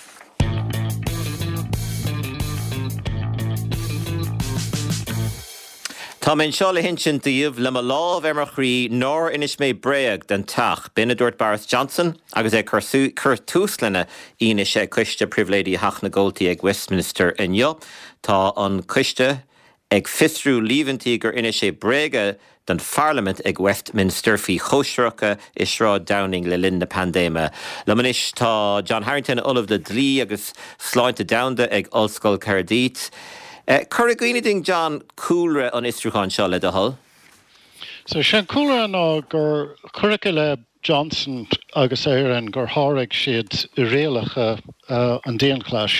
Tá mé anseo le hinsint daoibh, le mo lámh ar mo chroí, nár inis mé bréag don Teach. B'in a dúirt Boris Johnson agus é ag cur tús lena fhianaise ag Coiste Pribhléidí Theach na gComhaltaí ag Westminster inniu. Tá an coiste ag fiosrú líomhaintí gur inis sé bréaga don Pharlaimint ag Westminster faoi chóisireacha i Sráid Downing le linn na paindéime. Liom anois tá John Harrington, Ollamh le Dlí agus Sláinte Domhanda ag Ollscoil Caerdydd. Cuir i gcuimhne dúinn, John, cúlra an fhiosrúcháin seo, le do thoil. So, sé an cúlra ná gur cuireadh i leith Johnson agus a fhoireann gur sháraigh siad rialacha an dianghlais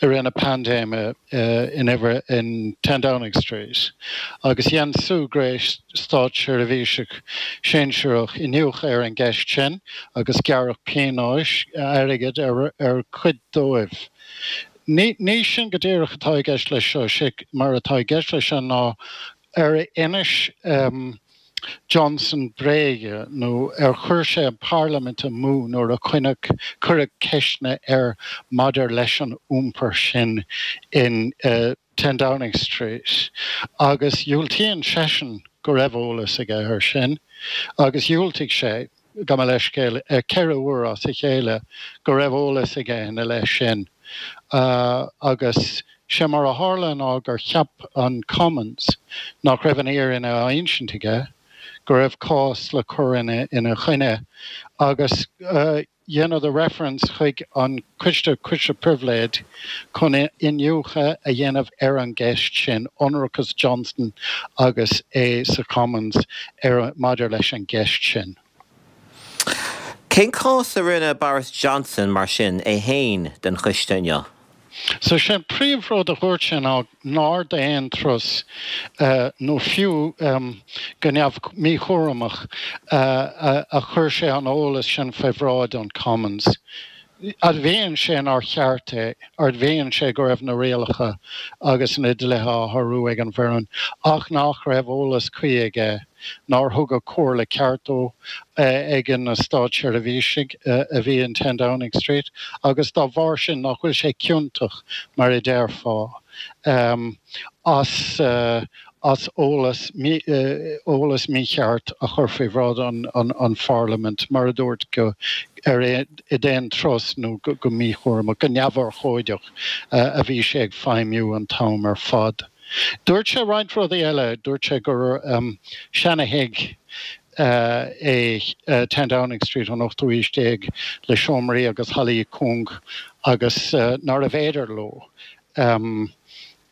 i rith na paindéime in uimhir in Ten Downing Street agus dhein Sue Gray, státseirbhíseach sinsearach, iniúchadh ar an gceist sin agus gearradh pionóis airgid ar chuid dóibh. Ní sin go díreach atá i gceist leis seo, sé mar atá i gceist leis seo ná ar inis Johnson bréaga nó ar chuir sé an Pharlaimint amú nuair a coinneadh, cuireadh ceisteanna air maidir leis an iompar sin in Ten Downing Street agus diúltaíonn seisean go raibh eolas aige air sin agus dhiúltaigh sé, gabh mo leithscéal, ceithre huaire as a chéile go raibh eolas aige ina leith sin agus sé mar a tharla ná gur cheap an Commons nach raibh an fhírinne á insint aige, go raibh cás le cur ina choinne agus dheineadar reference chuig an Coiste, Coiste Pribhléid, chun iniúchadh a dhéanamh ar an gceist sin, ionracas Johnson agus é sa Commons ar maidir leis an gceist sin. Cén cás a rinne Boris Johnson mar sin é féin don choiste inniu? So sé an príomhrud a dhúirt sé ná nár d'aon turas nó fiú go neamh míchúramach a chuir sé an eolas sin faoi bhráid an Commons. Admhaíonn sé nár cheart é, admhaíonn sé go raibh na rialacha agus na dlíthe á shárú ag an bhfoireann ach nach raibh eolas cuí aige, nár thugadh comhairle ceart dó ag na státseirbhísigh a bhí in Ten Downing Street agus dá bharr sin nach bhfuil sé ciontach, mar a déarfá, as as eolas eolas mícheart a chur faoi bhráid an Pharlaimint, mar a dúirt, go ar d'aon turas nó go míchúramach, go neamhurchóideach a bhí sé ag feidhmiú an t-am ar fad. Dúirt sé roinnt rudaí eile, dúirt sé gur seana-thigh é Ten Downing Street ón ochtú haois déag le seomraí agus hallaí cúng agus nárbh fhéidir leo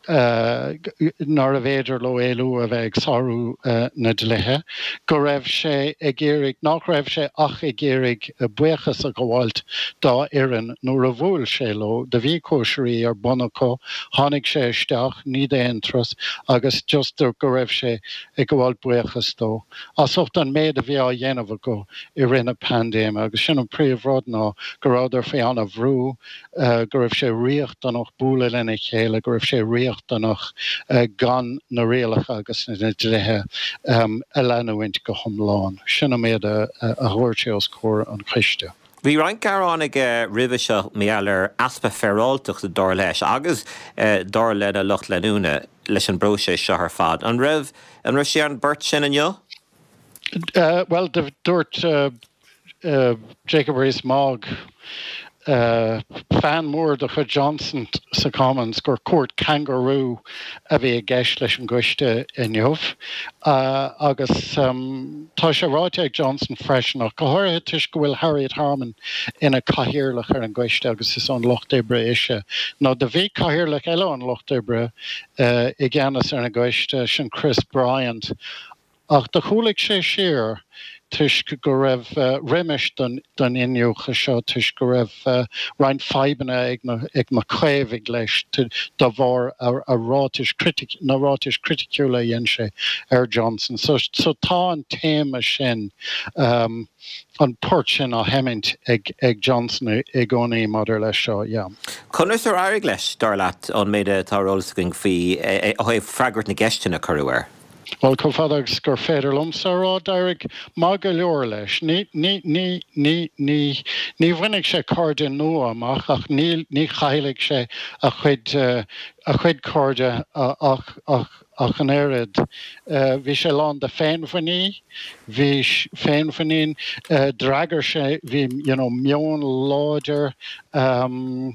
nárbh fhéidir leo éalú a bheith ag sárú na dlíthe, go raibh sé ag iarraidh, nach raibh sé ach ag iarraidh buíochas a ghabháilt dá fhoireann nuair a bhuail sé leo. Do bhí cóisirí ar bun acu, tháinig sé isteach, ní d'aon turas, agus just go raibh sé ag gabháilt buíochas dó as ucht an méid a bhí á dhéanamh acu i rith na paindéime. Agus sin an príomhrud ná go rabhadar faoi an-bhrú, go raibh sé riachtanach bualadh lena chéile, go raibh sé riachtanach gan na rialacha agus na dlíthe a leanúint go hiomlán. Sin an méid a dhúirt sé os comhair an choiste. Bhí roinnt gearán aige roimhe seo mar gheall ar easpa féaráilteachta, dar leis, agus dar lena lucht leanúna, leis an bpróiseas seo ar fad. An raibh an raibh sé ar an bport sin inniu? Bhuel, dúirt Jacob Rees-Mogg, fan mór de chuid Johnson sa Commons, gur cúirt cangarú a bhí i gceist leis an gcoiste inniu. Agus tá sé ráite ag Johnson freisin, ach go háirithe toisc go bhfuil Harriet Harman ina cathaoirleach ar an gcoiste agus is ón Lucht Oibre ise, nó do bhí cathaoirleach eile ón Lucht Oibre i gceannas ar an gcoiste, sin Chris Bryant, Ach do chúlaigh sé siar toisc go raibh roimis don iniúchadh seo toisc go raibh roinnt fadhbanna ag na ag na Caomhaigh leis de bharr a ráitis na ráitis chriticiúla a dhein sé ar Johnson. So so tá an téama sin an port sin á sheimint ag ag Johnson i gcónaí maidir leis seo, yeah. Conas ar éirigh leis, dar leat, ón méid atá ar eolas againn faoi ó thaobh freagairt na gceisteanna a cuireadh air? Bhuel, chomh fada agus gur féidir liomsa a rá, d'éirigh maith go leor leis. Ní, ní, ní, ní, ní, ní bhainfidh sé cairde nua amach ach ní, ní chaillfidh sé a chuid, a chuid cairde ach, ach, ach an oiread. Bhí sé lán de féinmhuinín, bhí féinmhuinín, d'fhreagair sé, bhí, you know, meon láidir,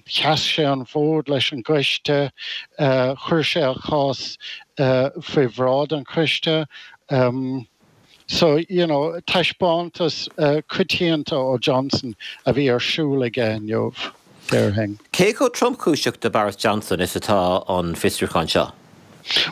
sheas sé an fód leis an gcoiste, chuir sé a chás faoi bhráid an choiste. So, you know, taispeántas coitianta ó Johnson a bhí ar siúl aige inniu, déarfainn. Cé chomh tromchúiseach do Boris Johnson is atá an fiosrúchán seo?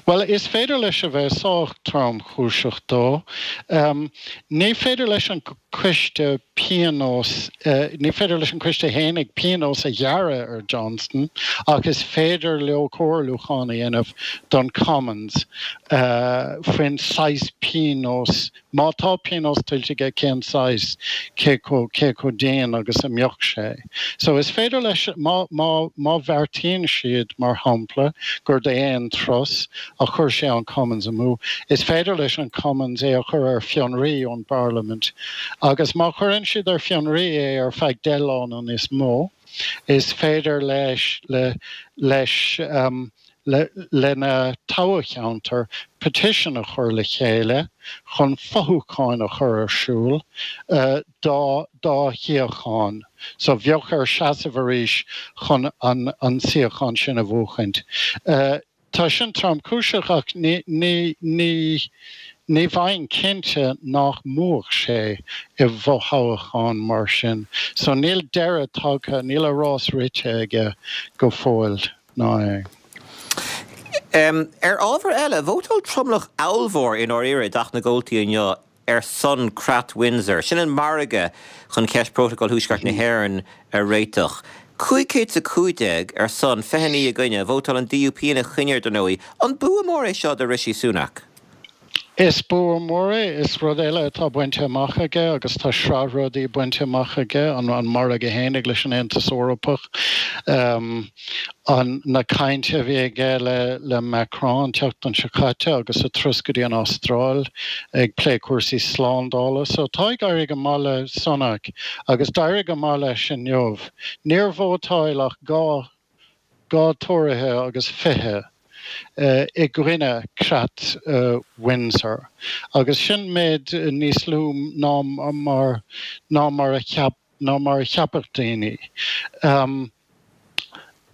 Bhuel, is féidir leis a bheith sách tromchúiseach dó. Ní féidir leis an gcoiste pionós, ní féidir leis an gcoiste fhéinig pionós a ghearradh ar Johnson ach is féidir leo comhairliúchán a dhéanamh don Commons faoin saghas pionós, má tá pionós tuillte aige, cén saghas, cé chomh, cé chomh dian agus a mbeadh sé. So is féidir leis, má, má, má bheartaíonn siad, mar shampla, gur d'aon turas a chuir sé an Commons amú, is féidir leis an Commons é a chur ar fionraí ón bParlaimint. Agus má chuireann siad ar fionraí é ar feadh deich lá nó níos mó, is féidir leis, le, leis, le, lena toghcheantar petition a chur le chéile chun fothoghchán a chur ar siúl dá, dá shuíochán. So bheadh air seasamh arís chun an, an suíochán sin a bhuachaint. Tá sin tromchúiseach ach ní, ní, ní, ní bheinn cinnte nach mbuafadh sé i bhfothoghchán mar sin. So níl deireadh tagtha, níl a rás rite aige go fóill, ná é. Ar ábhar eile, vótáil tromlach ollmhór i ndáiríre i dTeach na gComhaltaí inniu ar son Creat Windsor. Sin an margadh chun ceist Prótacal Thuaisceart na hÉireann a réiteach. Cúig chéad is a cúig déag ar son, fiche naoi i gcoinne. Vótáil an D U P ina choinne, dar ndóigh. An bua mór é seo do Rishi Sunak? Is bua mór é, is rud eile atá bainte amach aige agus tá sraith rudaí bainte amach aige, an an margadh fhéinig leis an Aontas Eorpach, an na cainte a bhí aige le le Macron an tseachtain seo caite agus a turas go dtí an Astráil ag plé cúrsaí slándála. So tá ag éirí go maith le Sunak agus d'éirigh go maith leis inniu. Níor vótáil ach dhá dhá Tóraithe agus fiche i gcoinne creat Windsor, agus sin méid níos lú ná mar ná mar a cheap ná mar a cheapfadh daoine.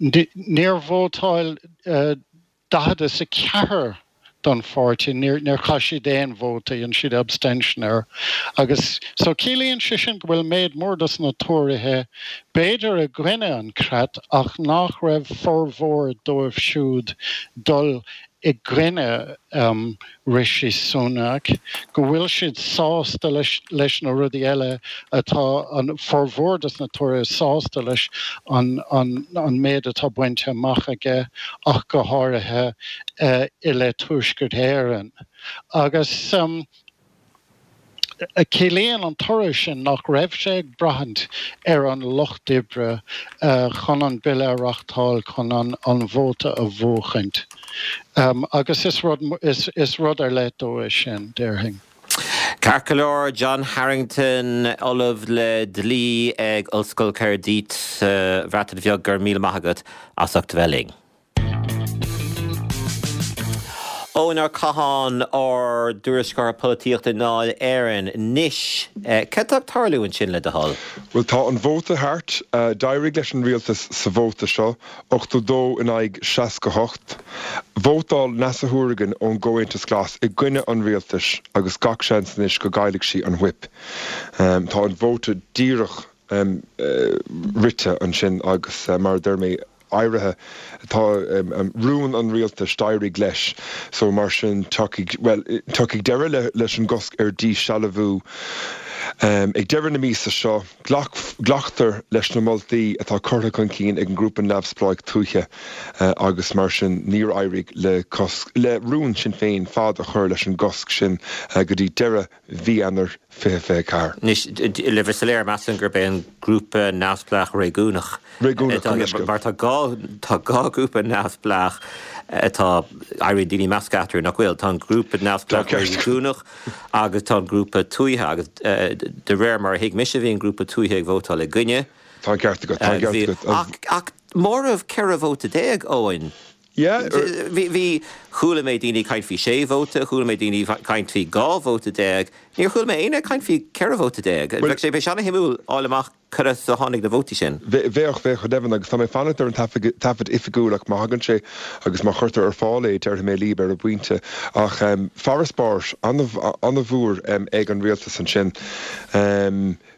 Níor vótáil daichead is a ceathair don pháirtí, níor níor chaith siad aon vóta, dhein siad abstention air. Agus so ciallaíonn sé sin go bhfuil méid mór dos na Tóraithe b'fhéidir i gcoinne an creat ach nach raibh formhór dóibh siúd dul i gcoinne Rishi Sunak, go bhfuil siad sásta leis leis na rudaí eile atá an formhór dos na Tóraithe sásta leis an an an méid atá bainte amach aige ach go háirithe i leith Tuaisceart Éireann. Agus ciallaíonn an toradh sin nach raibh sé ag braithint ar an Lucht Oibre chun an bille a reachtáil chun an vóta a bhuachaint. Agus is rud is rud ar leith dó é sin, déarfainn. Ceart go leor, John Harrington, Ollamh le Dlí ag Ollscoil Caerdydd sa Bhreatain Bheag, go raibh míle maith agat as ucht a bheith linn. Eoin Ó Catháin, ár dtuairisceoir polaitíochta i nDáil Éireann. Anois, cad tá ag tarlú ansin le do thoil? Bhuel, tá an vóta thart. D'éirigh leis an rialtas sa vóta seo, ochtó dó in aghaidh seasca hocht. Vótáil Neasa Hourigan ón gComhaontas Glas i gcoinne an rialtais agus gach seans anois go gcaillfidh sí an whip. Tá an vóta díreach rite ansin agus mar a deir mé, éirithe, tá rún an rialtais, d'éirigh leis so mar sin tiocfaidh, bhuel, tiocfaidh deireadh leis an gcosc ar dhíshealbhú ag deireadh na míosa seo. Glactar leis na moltaí atá curtha chun cinn ag an ngrúpa neamhspleách tuaithe agus mar sin níor éirigh le cosc, le rún Sinn Féin fad a chur leis an gcosc sin go dtí deireadh mhí Eanáir fiche fiche ceathair. Anois, le bheith soiléir, measaim gurb é an Grúpa Neamhspleách Réigiúnach Réigiúnach, gabh mo leithscéal. Mar tá dhá, tá dhá ghrúpa neamhspleách atá, éiríonn daoine measctha eatarthu, nach bhfuil? Tá an Grúpa Neamhspleách Réigiúnach agus tá an Grúpa Tuaithe agus de réir mar a thuig mise bhí an Grúpa Tuaithe ag vótáil i gcoinne. Tá an ceart agat, tá an ceart agat. Ach, ach móramh ceithre vóta déag, Eoin. Yeah. Bhí, bhí, chuala mé daoine ag caint faoi sé vóta, chuala mé daoine ag caint faoi dhá vóta déag, níor chuala mé éinne ag caint faoi ceithre vóta déag. Bheadh sé, bheadh sé ana-shuimiúil fháil amach cad as a tháinig na vótaí sin. Bheadh, bheadh go deimhin, agus tá mé ag fanacht ar an taifead, taifead oifigiúil ach má thagann sé agus má chuirtear ar fáil é, déarfaidh mé libh ar an bpointe. Ach farasbarr an-mhór ag an rialtas ansin.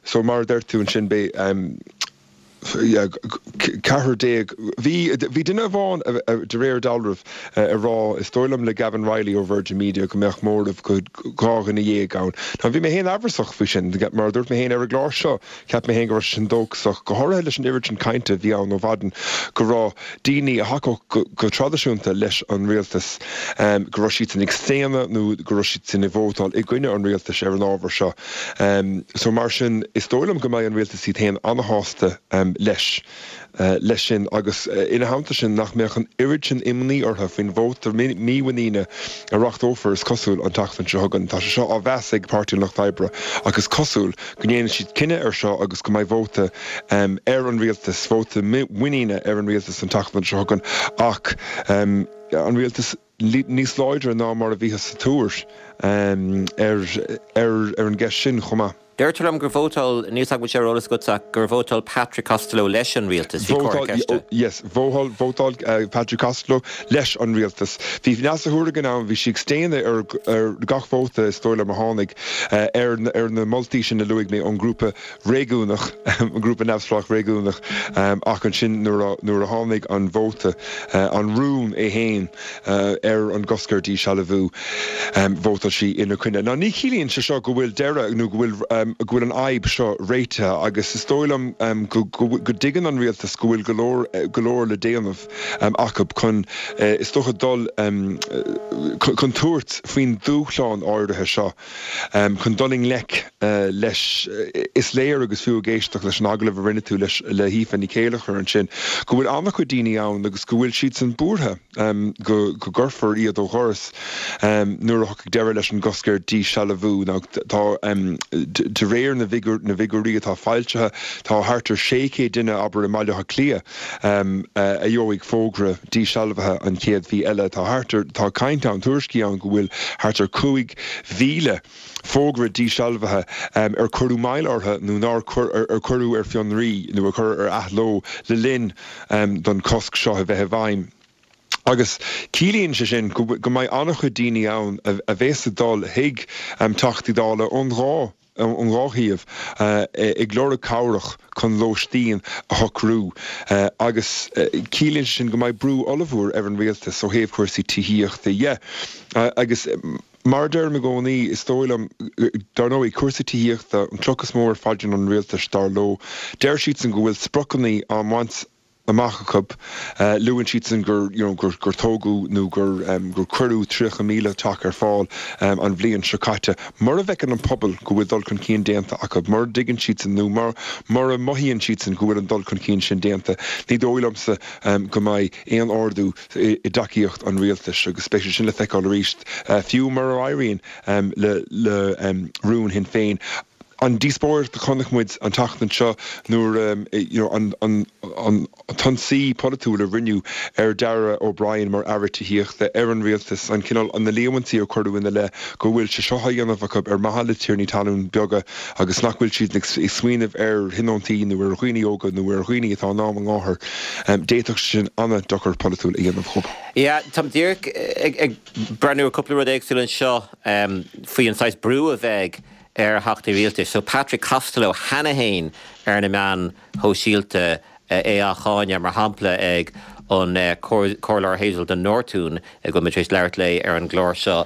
So mar a deir tú ansin, beidh, ceathrar déag. Bhí bhí duine amháin, de réir dealraimh, ag rá, is dóigh liom le Gavin Reilly ó Virgin Media, go mbeadh móramh go dhá dhuine dhéag ann. Now bhí mé féin amhrasach faoi sin, mar a dúirt mé féin ar an gclár seo, cheap mé féin go raibh sé sin dóchasach, go háirithe leis an oiread sin cainte a bhí ann ó mhaidin go raibh daoine a thacódh go traidisiúnta leis an rialtas, go raibh siadsan ag staonadh nó go raibh siadsan ag vótáil i gcoinne an rialtais ar an ábhar seo. So mar sin, is dóigh liom go mbeidh an rialtas iad féin ana-shásta leis leis sin agus ina theannta sin nach mbeadh an oiread sin imní orthu faoin vóta mímhuiníne a reachtófar, is cosúil, an tseachtain seo chugainn. Tá sé seo á mheas ag Páirtí an Lucht Oibre ach is cosúil go ndéanfaidh siad cinneadh air seo agus go mbeidh vóta ar an rialtas, vóta muiníne ar an rialtas an tseachtain seo chugainn ach an rialtas níos láidre ná mar a bhíothas ag tuar ar ar an gceist sin chomh maith. Deirtear liom gur vótáil, níl 's agam an bhfuil sé ar eolas agat ach gur vótáil Patrick Costello leis an rialtas, bhí comhartha ceiste. Yes, vótáil, vótáil Patrick Costello leis an rialtas. Bhí Neasa Hourigan ann, bhí sí ag staonadh ar ar gach vóta is dóigh liom a tháinig ar ar na moltaí sin a luaigh mé ón ngrúpa réigiúnach, an grúpa neamhspleách réigiúnach ach ansin nuair a nuair a tháinig an vóta, an rún é féin ar an gcosc ar dhíshealbhú, vótáil vótáil sí ina coinne. Now ní chiallaíonn sé seo go bhfuil deireadh nó go bhfuil go bhfuil an fhadhb seo réitithe agus is dóigh liom go go dtuigeann an rialtas go bhfuil go leor go leor le déanamh acu chun is dócha dul chun tabhairt faoin dúshlán áirithe seo chun dul i ngleic leis. Is léir agus fiú ag éisteacht leis an agallamh a rinne tú leis le hAoife Ní Chéilleachair ansin go bhfuil an-chuid daoine ann agus go bhfuil siadsan buartha go go gcuirfear iad ó dhoras nuair a thiocfaidh deireadh leis an gcosc ar díshealbhú. Now tá de réir na na bhfigiúirí atá foilsithe tá thart ar sé chéad duine abair i mBaile Átha Cliath a gheobhaidh fógra díshealbhaithe an chéad mhí eile. Tá thart ar tá caint ann tuairiscí ann go bhfuil thart ar cúig mhíle fógra díshealbhaithe ar cuireadh moill orthu nó nár ar cuireadh ar fionraí nó a cuireadh ar athló le linn don cosc seo a bheith i bhfeidhm. Agus ciallaíonn sé sin go mbeidh an-chuid daoine ann a bheas ag dul chuig Teachtaí Dála ón dhá ón dhá thaobh ag lorg cabhrach chun lóistín a shocrú agus ciallaíonn sé sin go mbeidh brú ollmhór ar an rialtas ó thaobh cúrsaí tithíochta dhe. Agus mar a deirim i gcónaí, is dóigh liom, dar ndóigh, cúrsaí tithíochta an cloch is mó ar phaidrín an rialtais, dar leo. Deir siadsan go bhfuil spriocanna á mbaint amach acu. Luann siadsan gur you know gur gur tógadh nó gur gur cuireadh tríocha míle teach ar fáil an bhliain seo caite. Mura bhfeiceann an pobal go bhfuil dul chun cinn déanta acu, mura dtuigeann siadsan nó mura mothaíonn siadsan go bhfuil an dul chun cinn sin déanta, ní dóigh liomsa go mbeidh aon ardú i dtacaíocht an rialtais agus beidh sé sin le feiceáil arís, fiú mura éiríonn le le rún Shinn Féin. An díospóireacht a chonaic muid an tseachtain seo nuair you know an an an t-ionsaí polaitiúil a rinneadh ar Darragh O'Brien mar Aire Tithíochta, ar an rialtas, an cineál, na líomhaintí a cuireadh ina leith go bhfuil sé seo á dhéanamh acu ar mhaithe le tiarnaí talún beaga agus nach bhfuil siad ag smaoineamh ar thionóntaí nó ar dhaoine óga nó ar dhaoine atá in am a ngáthar, d'fhéadfadh sé sin an-dochar polaitiúil a dhéanamh dhóibh. Yeah, táim díreach ag ag breathnú ar cúpla rud éagsúil anseo faoi an saghas brú a bheidh ar theachtaí rialtais. So Patrick Costello cheana fhéin ar na meáin shóisialta é á cháineadh, mar shampla ag an Comhairleoir Hazel de Nortúin, go bhfuil muid tar éis labhairt léi ar an gclár seo,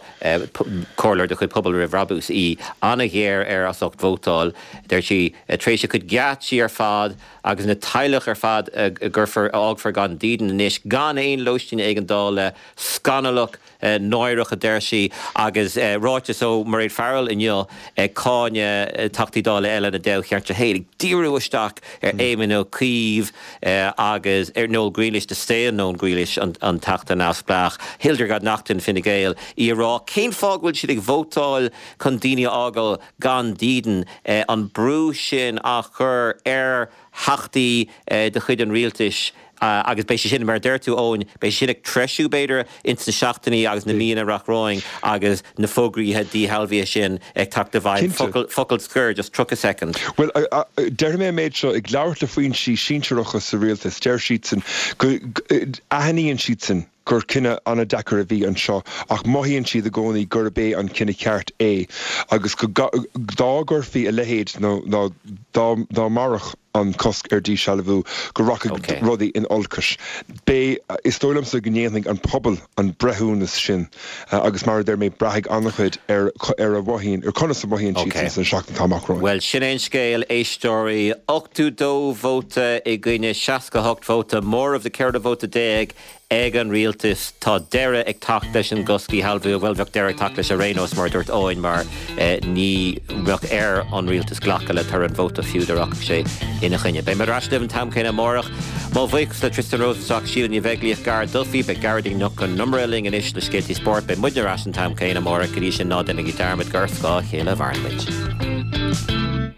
comhairleoir de chuid Pobal Roimh Bhrabús í, an-ghéar air as ucht vótáil, deir sí, tar éis a chuid geáitsí ar fad agus na teaghlaigh ar fad a gcuirfear, a fhágfar gan dídean anois, gan aon lóistín éigeandála, scannalach. Náireach, a deir sí, agus ráiteas ó Mairéad Farrell inniu ag cáineadh Teachtaí Dála eile ina dáilcheantar féin, ag díriú isteach ar Éamon Ó Cuív agus ar Noel Grealish, do staon Noel Grealish, an Teachta neamhspleách, Hildegarde Naughton, Fine Gael, í ag rá cén fáth go bhfuil siad ag vótáil chun daoine a fhágáil gan dídean, an brú sin á chur ar Theachtaí de chuid an rialtais. Agus beidh sé sin, mar a deir tú, Eoin, beidh sé sin ag treisiú, b'fhéidir, ins na seachtainí agus na míonna amach romhainn agus na fógraí díshealbhaithe sin ag teacht i bhfeidhm. Focal, focal scoir, just tríocha soicind. Bhuel, déarfaidh mé an méid seo, ag labhairt le foinsí sinsearacha sa rialtas, deir siadsan go, aithníonn siadsan gur cinneadh an-deacair a bhí anseo ach mothaíonn siad i gcónaí gurb é an cinneadh ceart é agus go, dá gcuirfí a leithéid nó dá, dá mairfeadh an cosc ar díshealbhú, go rachadh rudaí in olcas. Beidh, is dóigh liomsa go ndéanfaidh an pobal an breithiúnas sin agus mar a deir mé, braithfidh an-chuid ar ar a mhothaíonn, ar conas a mhothaíonn siadsan sna seachtainí atá amach romhainn. Bhuel, sin é an scéal, éisteoirí. Ochtó dó vóta i gcoinne seasca a hocht vóta, móramh de ceithre vóta déag ag an rialtas. Tá deireadh ag teacht leis an gcosc díshealbhú. Bhuel, bheadh deireadh ag teacht leis ar aon nós, mar a dúirt Eoin, mar ní bheadh ar an rialtas glacadh le toradh an vóta fiú dá rachadh sé ina choinne. Beidh muid ar ais libh an t-am céanna amárach. Mo bhuíochas le Tristan Rosenstock, Síle Ní Bheaglaoich, Gar Duffy. Beidh Gearóidín Nic Con Iomaire linn anois le scéaltaí spóirt. Beidh muidne ar ais an t-am céanna amárach. Go dtí sin, ná déanaigí dearmad gur ar scáth a chéile a mhaireann muid.